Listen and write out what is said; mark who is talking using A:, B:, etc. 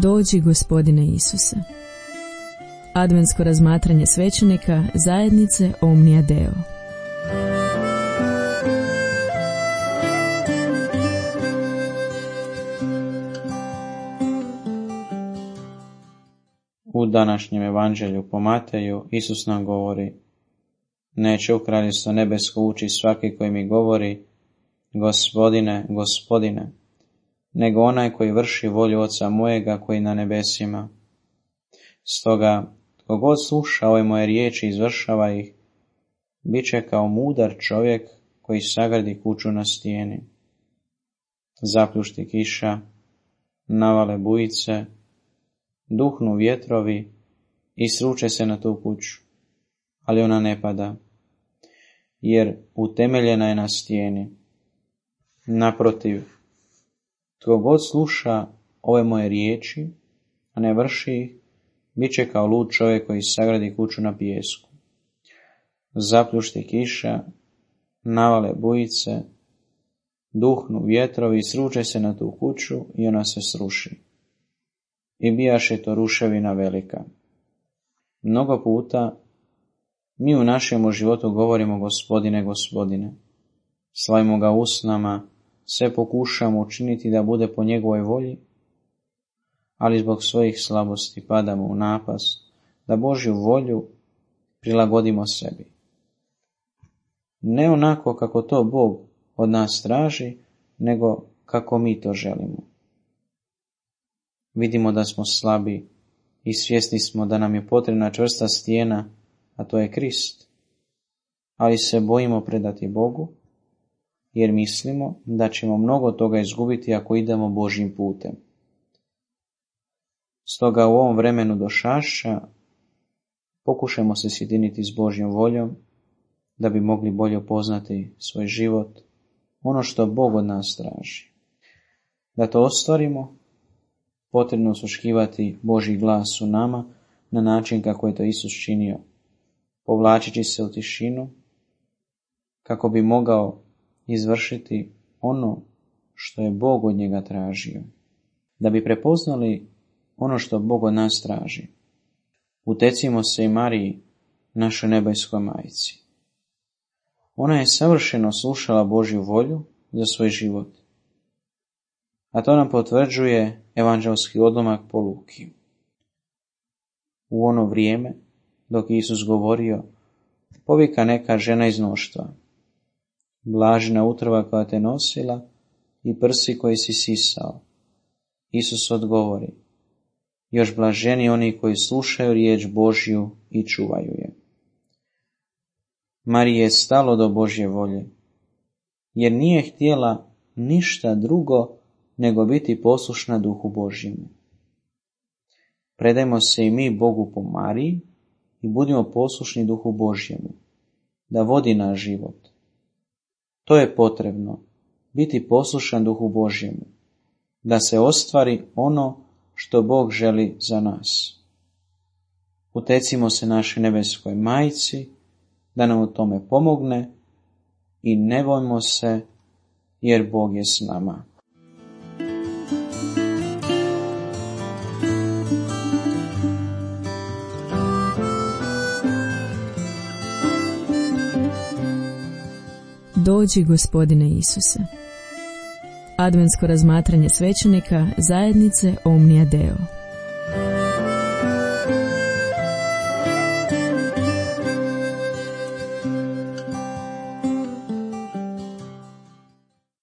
A: Dođi, Gospodine Isuse. Adventsko razmatranje svećenika zajednice Omnia Deo.
B: U današnjem evanđelju po Mateju Isus nam govori: neće u kraljevstvo nebesko ući svaki koji mi govori Gospodine, Gospodine, nego onaj koji vrši volju Oca mojega koji na nebesima. Stoga, tko god sluša ove moje riječi i izvršava ih, bit će kao mudar čovjek koji sagradi kuću na stijeni. Zapljušti kiša, navale bujice, duhnu vjetrovi i sruče se na tu kuću, ali ona ne pada, jer utemeljena je na stijeni. Naprotiv, tko god sluša ove moje riječi, a ne vrši ih, bit će kao lud čovjek koji sagradi kuću na pijesku. Zapljušti kiša, navale bujice, duhnu vjetrovi i sruče se na tu kuću i ona se sruši. I bijaše to ruševina velika. Mnogo puta mi u našem životu govorimo Gospodine, Gospodine. Slavimo ga usnama, sve pokušamo učiniti da bude po njegovoj volji, ali zbog svojih slabosti padamo u napast da Božju volju prilagodimo sebi. Ne onako kako to Bog od nas traži, nego kako mi to želimo. Vidimo da smo slabi i svjesni smo da nam je potrebna čvrsta stijena, a to je Krist. Ali se bojimo predati Bogu, jer mislimo da ćemo mnogo toga izgubiti ako idemo Božjim putem. Stoga u ovom vremenu došašća pokušajmo se sjediniti s Božjom voljom, da bi mogli bolje upoznati svoj život, ono što Bog od nas traži. Da to ostvarimo, potrebno osluškivati Božji glas u nama na način kako je to Isus činio, povlačeći se u tišinu, kako bi mogao izvršiti ono što je Bog od njega tražio. Da bi prepoznali ono što Bog od nas traži, utecimo se i Mariji, našoj nebeskoj majci. Ona je savršeno slušala Božju volju za svoj život. A to nam potvrđuje evanđelski odlomak po Luki. U ono vrijeme, dok Isus govorio, povika neka žena iz mnoštva: blažena utrova koja te nosila i prsi koji si sisao. Isus odgovori: još blaženi oni koji slušaju riječ Božju i čuvaju je. Mariji je stalo do Božje volje, jer nije htjela ništa drugo nego biti poslušna Duhu Božjemu. Predajmo se i mi Bogu po Mariji i budimo poslušni Duhu Božjemu, da vodi naš život. To je potrebno, biti poslušan Duhu Božjemu, da se ostvari ono što Bog želi za nas. Utecimo se našoj nebeskoj majci, da nam u tome pomogne i ne bojmo se, jer Bog je s nama.
A: Dođi, Gospodine Isuse. Adventsko razmatranje svećenika zajednice Omnia Deo.